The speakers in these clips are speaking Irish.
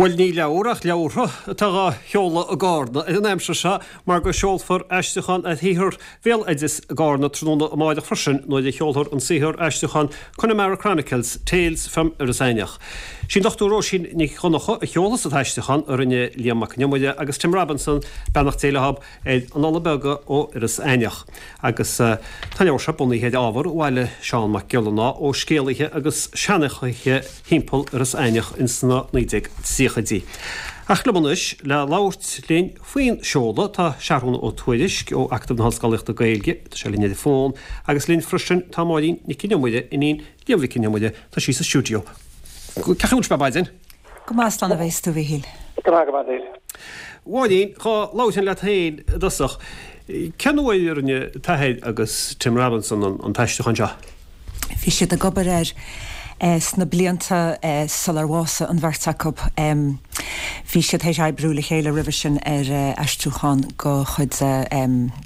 Bhuel, ní leabhar ach leabhartha atá dhá sheoladh i gCarna ar an aimsir seo mar go seolfar aistriúchán ar shaothar bhéaloideas i gCarna tráthnóna amáireach freisin nuair a sheolfar an saothar aistriúchán Connemara Chronicles, Tales from Iorras Aithneach. Sí an Dr Róisín Nic Dhonncha a sheolfas an t-aistriúchán a rinne Liam Mac Con Iomaire agus Tim Robinson, beannacht Dé leo, ar Annála Beaga ó Iorras Aithneach. Agus tá an leabhar seo bunaithe ar ábhar a bhailigh Seán Mac Giollarnáth ó scéalaithe agus seanchaithe thimpeall Iorras Aithneach ins na 1930idí. Ach liom anois le labhairt linn faoin seoladh tá Seathrún Ó Tuairisg ó Acadamh na hOllscolaíochta Gaeilge, tá sé linn ar an bhfón, agus linn freisin tá Máirín Nic Con Iomaire, iníon Liam Mhic Con Iomaire, tá sí sa stiúideo. Cén chaoi a bhfuil sibh ar maidin? Go maith, slán a bheas tú, a Mhíchíl. Go maith, go maith duit. Mháirín, dhá labhróinn leat féin i dtosach, cén uair a rinne t'athair agus Tim Robinson an t-aistriúchán seo? Bhí siad ag obair air sna blianta sular bhásaigh an bheirt acu. Bhí siad théis oibriú le chéile roimhe sin ar aistriúchán de chuid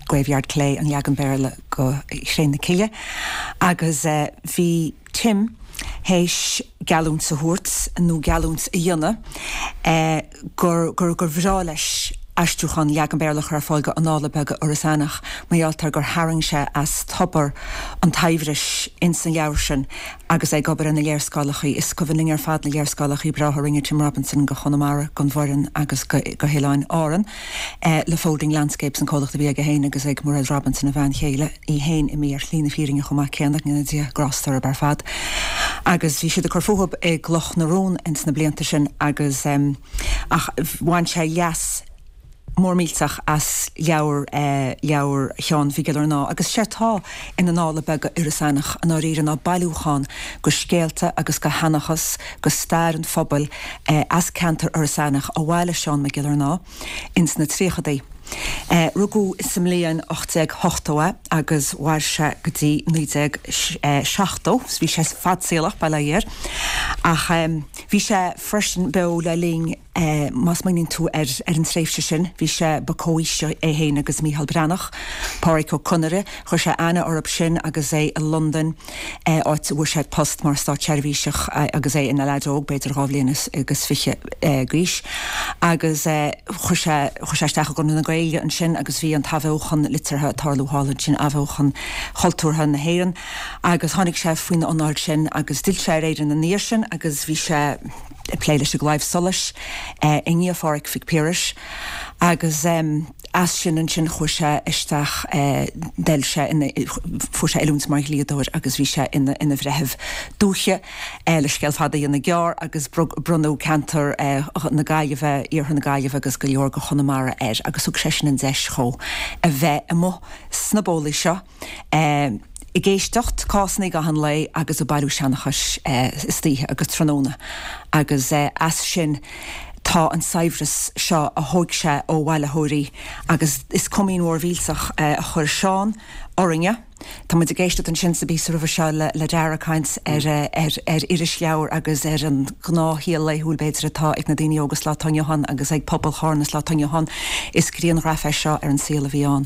Graveyard Clay, an leagan Béarla de Chré na Cille, agus bhí Tim théis geallúint a thabhairt, nó geallúint a dhéanamh, gur gur bhreá leis aistriúchán leagan Béarla a chur ar fáil de Annála Beaga Iorras Aithneach mar gheall ar gur tharraing sé as tobar an tsaibhris ins an leabhar sin agus é ag obair ar na léarscáileachaí. Is cuimhin linn ar fad na léarscáileachaí breátha a rinne Tim Robinson go Chonamara, gon Bhoireann agus go hOileáin Árann le Folding Landscapes, an comhlacht a bhí aige féin agus ag Mairéad Robinson, a bhean chéile, í féin imithe ar shlí na fírinne chomh maith céanna, go ndéana Dia grásta orthu ar fad. Agus bhí siad ag cur fúthu i gCloch na Rón ins na blianta sin agus ach bhain sé leas mór millteach as leabhar leabhar Sheáin Mhig Giollarnáth agus sé atá in Annála Beaga Iorras Aithneach i ndáiríre ná bailiúchán go scéalta agus go sheanchas go stair an phobail as ceantar Iorras Aithneach a bhailigh Seán Mac Giollarnáth ins na tríochadaí. Rugadh sa mbliain 1880 é agus mhair sé go dtí 1970. Bhí sé fadsaolach, bail ó Dhia air. Ach bhí sé freisin beo le linn, má smaoiníonn tú ar an tréimhse sin, bhí sé, ba comhaoisigh é féin agus Mícheál Breathnach, Pádraic Ó Conaire, chuir sé aithne orthu sin agus é i Londain. áit a bhfuair sé post mar státseirbhíseach agus é ina leaid óg, b'fhéidir 22 bhliain agus d'aois, agus chuir sé, chuir sé isteach i gConradh na Gaeilge ansin agus bhí an t-athbheochan liteartha ag tarlú thall ansin, athbheochan chultúrtha na hÉireann, agus tháinig sé faoina anáil sin agus d'fhill sé ar Éirinn ina dhiaidh sin agus bhí sé ag plé leis an gClaidheamh Soluis i ndiaidh Phádhraic Mhic Piarais agus. As sin ansin chuaigh sé isteach, d'oil sé ina, fuair sé oiliúint mar dhlíodóir agus bhí sé ina, ina bhreitheamh dúiche, le scéal fada a dhéanamh gearr, agus bronnadh ceantar na Gaillimhe, iarthar na Gaillimhe agus go leor de Chonamara air agus thug sé sin an deis dhó a bheith amuigh sna bólaí seo. ag éisteacht cásanna i gcaitheamh an lae agus ag bailiú seanchais istoíche agus tráthnóna agus as sin tá an saibhreas seo a thóig sé ó bhailitheoirí agus is comaoin mhór mhillteach a chuir Seán orainne. Tá muid ag éisteacht ansin sa bpíosa roimhe seo le Dara ag caint ar ar irisleabhair agus ar an ngnáthshaol laethúil b'fhéidir atá ag na daoine óga sa lá atá inniu ann agus ag pobal Chárna sa lá atá inniu ann. Is grianghraf é seo ar an saol a bhí ann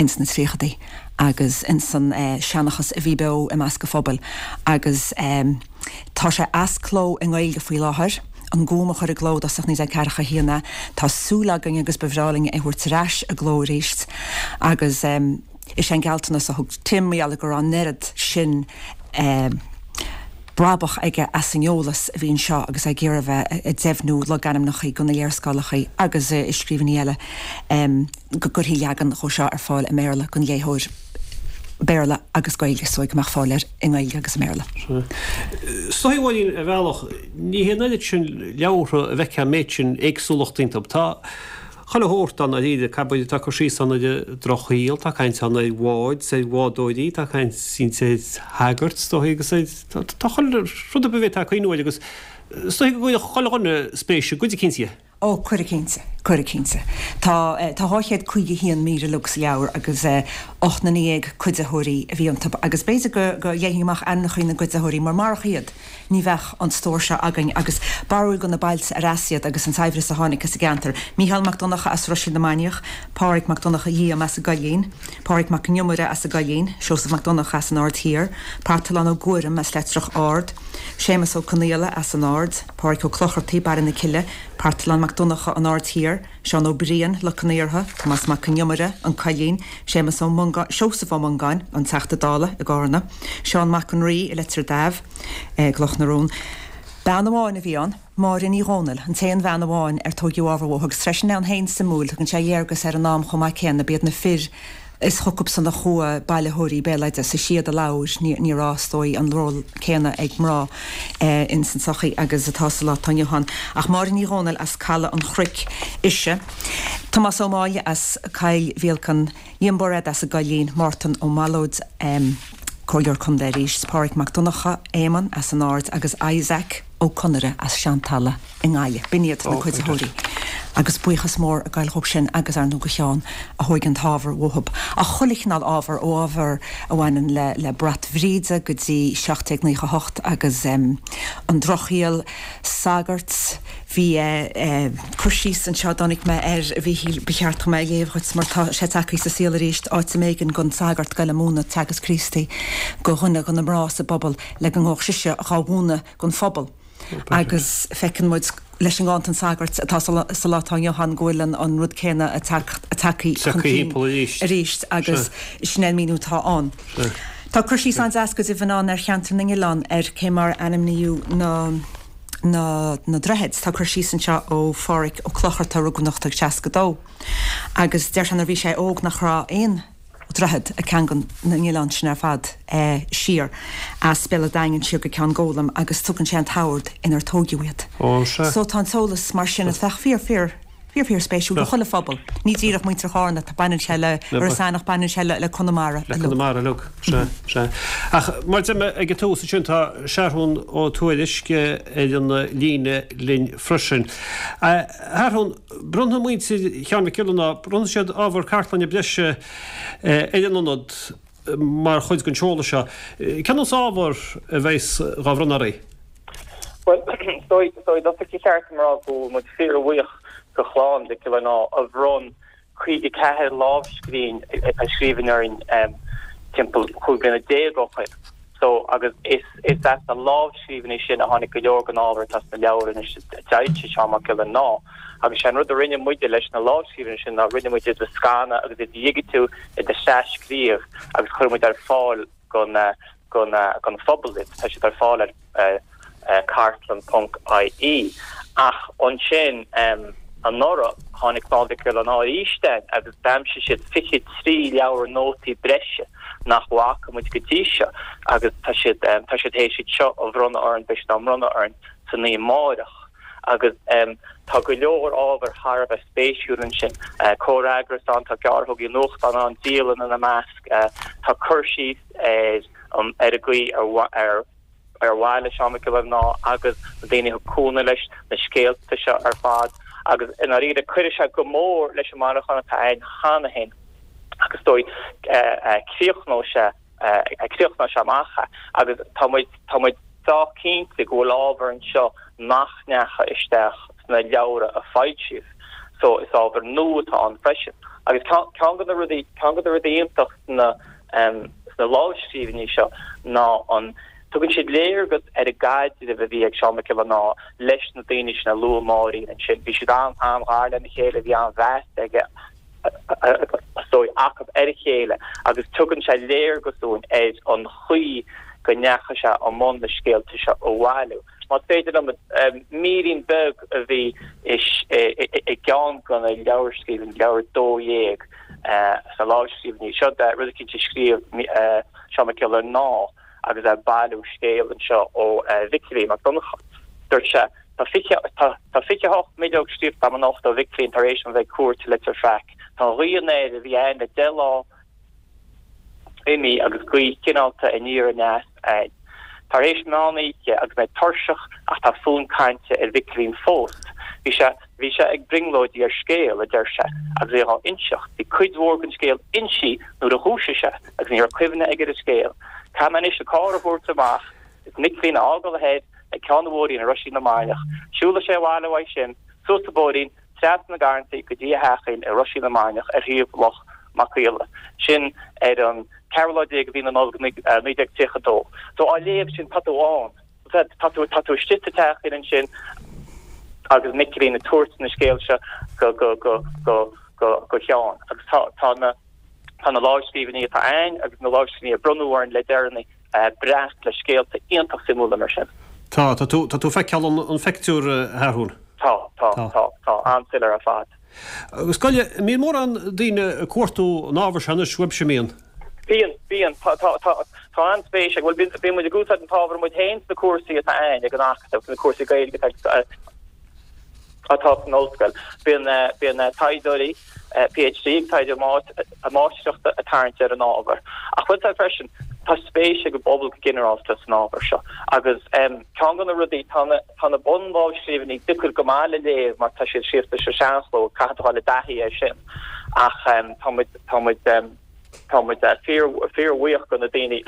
ins na tríochadaí agus ins an seanchas a bhí beo i measc an phobail agus tá sé as cló i nGaeilge faoi láthair, An Gúm a chuir i gcló i dtosach 1941 é. Tá súil againn agus ba bhreá linn é a thabhairt ar ais i gcló arís agus is é an gealltanas a thug Tim, mar gheall go raibh an oiread sin brabach aige as an eolas a bhí anseo agus é ag iarraidh a bheith ag deimhniú logainmneacha go na léarscáileacha agus i scríbhinní eile. go gcuirfí leagan dhó seo ar fáil i mBéarla don léitheoir Béarla agus Gaeilge so go mbeadh fáil air i nGaeilge agus i mBéarla. Is dóigh, a Mháirín, ar bhealach, ní hé an oiread sin leabhartha a bhfeicfeá an méid sin éagsúlachta iontu. Tá chuile shórt ann dáiríre, cabair, tá cur síos ann ar an drochshaol, tá caint ann ar bháid, ar bhádóirí, tá caint inti ar shagairt, is dóigh, agus ar, tá chuile rud a bhféadfá cuimhniú air agus is dóigh go gcuirfeadh chuile dhuine spéis i gcuid eicínt dhe. Ó, cuirfidh cinnte. Cuirfidh, cinnte. Tá tá 251 mír uilig sa leabhar agus 18 nduine cuiditheoirí a bhí iontu agus b'fhéidir go go léifinn amach ainmneacha na gcuiditheoirí mar marach iad ní bheadh an stór seo againn agus barúil de na bailte ar as iad agus an saibhreas a tháinig as an gceantar. Mícheál Mac Donncha as Ruisín na Mainiach, Pádhraic Mac Donncha Liam as an gCoillín, Pádhraic Mac an Iomaire as an gCoillín, Seosamh Mac Donncha as an Aird Thiar, Parthalán Ó Guairim as Leitreach Ard, Séamus Ó Conaola as an Aird, Pádhraic Ó Clochartaigh, Baile na Cille, Parthalán Mac Donncha, An Aird Thiar, Seán Ó Briain, Loc an Iartha, Tomás Mac an Iomaire, An Coillín, Séamus Ó Mongáin, Seosamh Ó Mongáin, an Teachta Dála i gCárna, Seán Mac an Rí i Leitir Daimh, gCloch na Rón. Bean amháin a bhí ann, Máire Ní Dhomhnaill, an t-aon bhean amháin ar tóigeadh ábhar uaithi agus freisin ann féin suimiúil, tugann sé léargas ar an am chomh maith céanna, b'iad na fir Is chucubsan a chuaigh bailitheoirí béaloideas, is iad a labhair, ní raibh, is dóigh, an ról céanna ag mná ins an tsochaí agus atá sa lá atá inniu ann. Ach Máire Ní Dhomhnaill as Caladh an Chnoic ise, Tomás Ó Máille as Coill Mhíolcain, Liam Bairéad as an gCoillín, Mártan Ó Mallóid, Comhairleoir Contae arís, Pádhraic Mac Donncha, Éamonn as an Aird agus Isaac Ó Conaire as Seantalamh i nGaillimh. B'in iad na cuiditheoirí agus buíochas mór ag goil dhób sin agus ar ndóigh go Sheán a thóig an t-ábhar uathub. Ach chuile chineál ábhar, ó ábhar a bhaineann le le Brat Bhríde go dtí 1798 agus an Drochshaol, sagart, bhí cur síos anseo a dtáinig mé air a Mhíchíl, ba cheart dom é a léamh dhuit mar tá sé tagtha sa saol arís, áit a mb'éigean don sagart goil ag múineadh Teagasc Críostaí go dhuine de na mná sa bpobal le go ngabhadh sise dhá mhúineadh don phobal agus feiceann muid leis an gcáint an sagairt atá sa lá atá inniu ann go bhfuil an rud céanna tagtha chun cinn arís agus sin é an míniú atá ann. Tá cur síos an-deas go deimhin ann ar cheantar na nOileán ar cé mar a ainmníodh na na na droichid. Tá cur síos anseo ó Phádhraic Ó Clochartaigh a rugadh in 1862 agus deir sé nuair a bhí sé óg nach raibh aon droichead ag ceangal na n-oileán sin ar fad siar as Béal an Daingin siar go Ceann Gólaim agus tugann sé an t-ord inar tóigeadh iad. Ó, sea. So tá an t-eolas mar sin a bheadh fíor, fíor, fíor, fíor spéisiúil do chuile phobal. Ní díreach muintir Chárna, tá, baineann sé le Iorras Aithneach, baineann sé le Conamara Le Conamara uilig, sea, sea. Ach mar a deir mé ag an tús ansin tá Seathrún Ó Tuairisg ar an líne linn freisin. A Sheathrúin, Bronnfaidh muintir Sheáin Mhic Giollarnáth, bronnfaidh siad ábhar cartlainne breise ar an Ionad mar chuid den seoladh seo. Cén nós ábhar a bheas dhá bhronnadh oraibh? Bhuel, is dóigh, is dóigh, i dtosach ba cheart dom a rá go bhfuil muid fíorbhuíoch do chlann Mhic Giollarnáth a bhronn 54 lámhscríbhinn a scríbhinn orainn timpeall 15 bliana ó shoin. So, agus is is as na lámhscríbhinní sin a tháinig go leor den ábhar atá sna leabhair anois a d'fhoilsigh Seán Mac Giollarnáth. Agus sé an rud a rinne muide leis na lámhscríbhinní sin ná rinne muid iad a scanadh agus iad a dhigitiú, iad a thras-scríobh agus chuir muid ar fáil don don don phobal iad. Tá siad ar fáil ar cartlann ponc ie. Ach ansin anuraidh tháinig Clann Mhic Giollarnáth arís chugainn agus d'aimsigh siad 23 leabhar nótaí breise nach bhfaca muid go dtí seo agus tá siad tá siad théis iad seo a bhronnadh orainn, beidh siad á mbronnadh orainn san oíche amáireach. Agus tá go leor ábhar thar a bheith spéisiúil ansin, comhfhreagras ann, tá gearrthógaí nuachtán ann, dialanna ina measc, tá cur síos ar an ar an gcaoi ar ar ar bhailigh Seán Mac Giollarnáth agus na daoine a thug cúnamh leis na scéalta seo ar fad agus i ndáiríre cuirfidh sé go mór leis an mbailiúchán atá againn cheana féin agus is dóigh críochnóidh sé críochnóidh sé amach é agus tá muid tá muid sách cinnte go bhfuil ábhar anseo nach ndeachaigh isteach sna leabhra a foilsíodh so is ábhar nua atá ann freisin agus ceann de na rudaí ceann de na rudaí iontach sna sna lámhscríbhinní seo ná an tugann siad léargas ar an gcaidreamh a bhí ag Seán Mac Giollarnáth leis na daoine sin a luaigh Máirín ansin. Bhí siad an-ghar lena chéile, bhí an-mheas aige, is dóigh, acu ar a chéile agus tugann sé léargas dúinn ar an chaoi go ndeachaigh sé i mbun na scéalta seo a bhailiú. Más féidir liom, mírín beag a bhí i gceann de na leabharscríbhinní, leabhar 12 sna lámhscríbhinní. Seo rud eicínt a scríobh Seán Mac Giollarnáth agus é ag bailiú scéal anseo ó Mhicilín Mac Donncha. Dúirt sé, Tá 28 mbileog scríofa agam anocht ó Mhicilín tar éis dom bheith ag cuairt i Leitir Fraic. Tá an ghaoth anoir a bhí ann le deich lá imithe agus gaoth chineálta aniar aneas ann. Tar éis meán oíche agus mé tuirseach ach tá fonn cainte ar Mhicilín fós. Bhí sé, bhí. sé ag brionglóidí ar scéal, a deir sé, agus é dhá inseacht. Bhí cuid mhór den scéal insí nuair a dhúisigh sé agus ní raibh cuimhne aige ar an scéal. Caithfidh mé anois an carr a thabhairt amach is Micilín a fhágáil thoir ag ceann an bhóithrín i Roisín na Mainiach. Siúlfaidh sé abhaile uaidh sin, suas an bóithrín, trasna na Garrantaí go dtí a theachín i Roisín na Mainiach ar thaobh Loch Mac Aola. Sin ar an ceathrú lá déag de mhí na Nollag 1932. So á léamh sin tá tú ann. Tá tú, tá tú istigh sa teachín ansin agus Micilín ag tabhairt na scéal seo go, go, go, go, go, go Sheán. Agus tá, tá na, tá na lámhscríbhinní atá a'ainn agus na lámhscríbhinní a bronnadh orainn le deireanaí breac le scéalta iontach suimiúla mar sin. Tá, tá tú, tá tú ag feiceáil an, an phictiúr, a Sheathrúin. Tá, tá, tá, tá, an-soiléir ar fad. Agus gabh i leith, an mbíonn mórán daoine ag cuartú an ábhair seo anois uaibhse, an mbíonn? Bíonn, bíonn. Tá, tá, tá, tá an-spéis ag, bhuel, bíonn, bíonn muid ag úsáid an t-ábhar muid féin sna cúrsaí atá a'ainn ag an Acadamh, sna cúrsaí Gaeilge atá, atá san ollscoil. Bíonn, bíonn taighdeoirí PhD ag taighde a máistreachta ag tarraingt ar an ábhar. Ach bhfuil a fhios a'd freisin, tá spéis ag an bpobal go ginearálta san ábhar seo. Agus ceann de na rudaí, tá na, tá na bunlámhscríbhinní deacair go maith le léamh mar tá siad scríofa sa seanchló, caithfidh tú dul i dtaithí air sin. Ach tá muid, tá muid, tá muid fíor, fíorbhuíoch do na daoine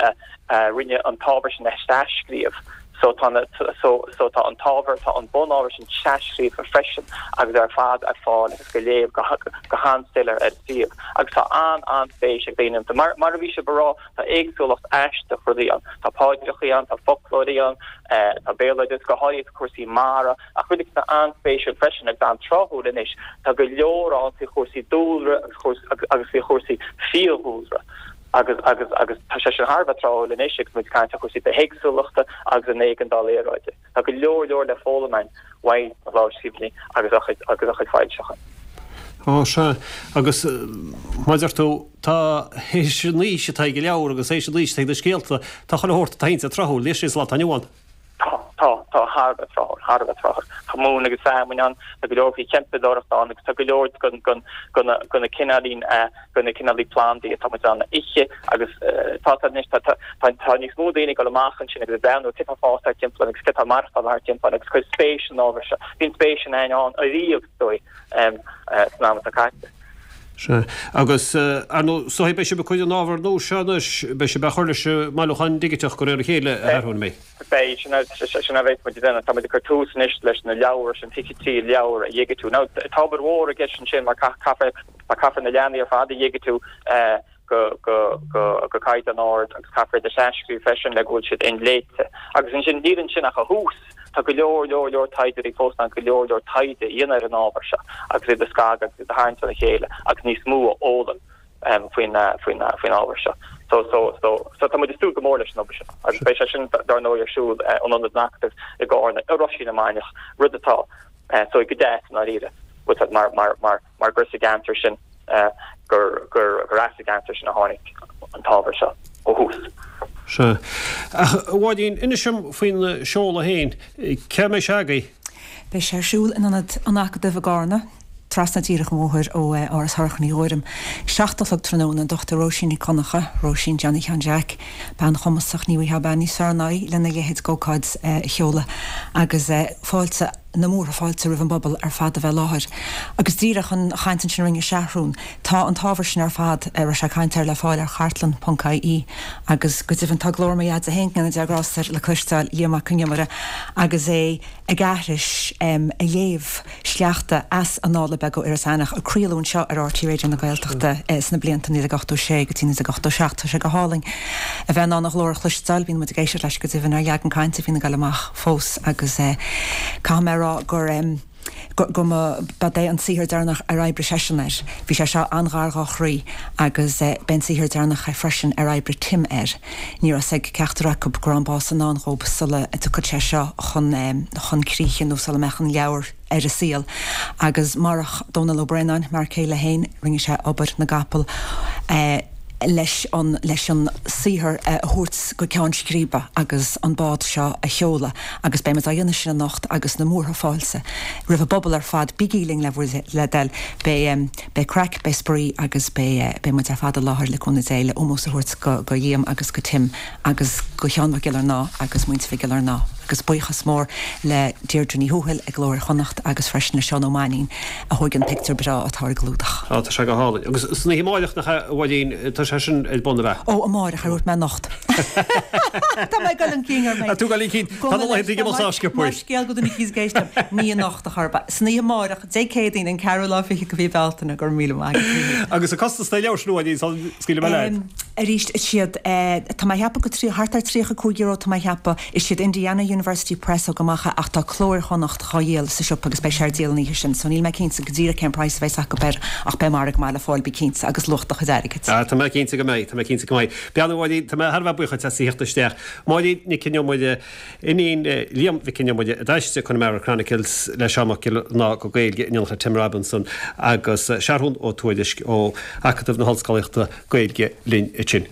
a rinne an t-ábhar sin a thras-scríobh. So tá na, so, so tá an t-ábhar, tá an bunábhar sin tras-scríofa freisin agus ar fad ar fáil agus go léamh go, go han-soiléir ar an suíomh. Agus tá an, an-spéis ag daoine iontu. Mar, mar a bhí sibh a rá, tá éagsúlacht aisteach rudaí ann. Tá paidreachaí ann, tá foclóirí ann, tá béaloideas, go háirithe cúrsaí mara, Ach rud atá an-spéisiúil freisin agus an-tráthúil anois, tá go leor ann faoi chúrsaí dúlra agus agus faoi chúrsaí fiadhúlra agus agus agus tá sé sin thar a bheith tráthúil anois agus muid ag caint ar chúrsaí bithéagsúlachta agus an éigeandáil aeráide. Tá go leor leor le foghlaim againn uaidh na lámhscríbhinní agus a chuid agus a chuid foilseachán. Á, sea. Agus mar a deir tú, tá, théis an aois atá ag an leabhar agus théis an aois atá ag na scéalta, tá chuile shórt atá iontu tráthúil, níl sé sa lá atá inniu ann. Tá, tá, tá, thar a bheith tráthúil, thar a bheith tráthúil. Tá móin agus feamainn ann, tá go leor faoi chempadóireacht ann agus tá go leor den, den, den na, den na cineáilín, den na cineálaí plandaí atá muid in ann a ithe agus tá, tá anois, tá, tá, tá, tá níos mó daoine ag dul amach ansin agus ag breathnú cé tá ag fás thart timpeall agus cé tá ag maireachtáil thart timpeall agus cuir spéis san ábhar seo. Bhí an spéis sin ann ariamh, is dóigh, san am atá caite. Sea. Agus, ar ndóigh, so beidh sibh ag cur an ábhar nua seo anois, beidh sibh á chur leis an mbailiúchán digiteach de réir a chéile, a Sheathrúin, an mbeidh? Beidh, sin sin a bheas muid ag déanamh. Tá muid ag cur tús anois leis na leabhair sin, 23 leabhar a dhigitiú. Now, tá obair mhór i gceist ansin mar caithfear, caithfear na leathanaigh ar fad a dhigitiú go, go, go, go caighdeán ard agus caithfear iad a thras-scríobh freisin le go bhfuil siad inléite. Agus ansin, níl ansin ach an thús. Tá go leor, leor, leor taighdeoirí fós in ann go leor, leor taighde a dhéanamh ar an ábhar seo agus iad a scagadh agus iad a tharraingt óna chéile agus níos mó a fhoghlaim. faoin faoin faoin ábhar seo. So so so so tá muid ag súil go mór leis an obair sin agus beidh sé sin dar ndóigh ar siúl in Ionad an Acadaimh i gCarna i Roisín na Mainiach, rud atá so go deas i ndáiríre bhfuil mar mar mar mar gur sa gceantar sin gur gur gur as an gceantar sin a tháinig an t-ábhar seo ó thús. Sea. Ach, a Mháirín, inis dom faoin seoladh féin. Cá mbeidh sé agaibh? Beidh sé ar siúl in Ionad an Acadaimh i gCarna. Trasna díreach an bhóthair ó Áras Shorcha Ní Ghuairim. 7 a chlog tráthnóna, an Dr Róisín Nic Dhonncha, Róisín Johnny Sheáin Jeaic, bean chumasach, ní bhfaighfeá bean níos fearr ná í lena leithéid d'ócáid a sheoladh agus fáilte, na múrtha fáilte roimh an bpobal ar fad a bheith i láthair. Agus díreach an chaint ansin a rinne Seathrún, tá an t-ábhar sin ar fad a raibh sé ag caint air le fáil ar chartlann.ie agus go deimhin tá glór mo dheaide féin, go ndéana Dia grásta air, le cloisteáil, Liam Mac Con Iomaire, agus é ag aithris, ag léamh. sleachta as Annála Beaga Iorras Aithneach a craoladh anseo ar RTÉ Raidió na Gaeltachta sna blianta 1986 go dtí 1987. Tá sé go hálainn a bheith in ann a ghlór a chloisteáil. Bíonn muid ag éisteacht leis go deimhin ar leagan cainte a bhíonn ag dul amach fós agus caithfidh mé a rá gur go mba é an saothar deireanach ar oibrigh seisean air. Bhí sé seo an-ghar dhá chroí agus b'é an saothar deireanach é freisin ar oibrigh Tim air. Ní raibh 's ag ceachtar acu go raibh an bás i ndán dhób sula dtiocfadh sé seo chun chun críche nó sula mbeadh an leabhar ar an saol. Agus marach Dónal Ó Braonáin, m'fhear céile féin, rinne sé obair na gcapall leis an leis an saothar a thabhairt go ceann scríbe agus an bád seo a sheoladh. Agus beidh muid á dhéanamh sin anocht agus na múrtha fáilte roimh an bpobal ar fad. Bígí linn le bhur le dtoil. Beidh. Beidh craic, beidh spraoi agus beidh beidh muid ar fad i láthair le cúnamh Dé le ómós a thabhairt go go Liam agus go Tim agus go Sheán Mac Giollarnáth agus muintir Mhic Giollarnáth. Agus buíochas mór le Deirdre Ní Thuathail i gCló Iar-Chonnacht agus freisin le Seán Ó Mainnín a thóig an pictiúr breá atá ar an gclúdach. Á, tá sé go hálainn. Agus san oíche amáireach, nach ea, a Mháirín, tá sé sin ar bun, ab ea? Ó, amáireach, ar dhúirt mé anocht? Tá mé ag dul chun cinn orm. Tá tú ag dul chun cinn. Tá na laethanta ag imeacht sách sciobtha. Más scéal go duine eicínt ag éisteacht liom, ní anocht a chor ar bith. San oíche amáireach, Dé Céadaoin, an ceathrú lá fichead de mhí Bealtaine, go raibh míle maith agat. Agus an costas do leabhar sin, a Mháirín, sula scaoilfidh mé leat? Arís, is iad, tá mé a cheapadh go trí, thart ar €35 tá mé a cheapadh, is iad Indiana University Press a thug amach é ach tá Cló Iar-Chonnacht dhá dhíol sa siopa agus beidh sé ar díol an oíche sin so níl mé cinnte go díreach cén praghas a bheas acu air ach beidh margadh maith le fáil bí cinnte agus luach do chuid airgid. Ah, tá mé cinnte go mbeidh, tá mé cinnte go mbeidh. Bean a Mháirín, tá mé thar a bheith buíoch duit as a theacht isteach. Máirín Nic Con Iomaire, iníon Liam Mhic Con Iomaire a d'aistrigh Connemara Chronicles le Seán Mac Giollarnáth go Gaeilge in éineacht le Tim Robinson agus Seathrún Ó Tuairisg ó Acadamh na hOllscolaíochta Gaeilge linn ansin.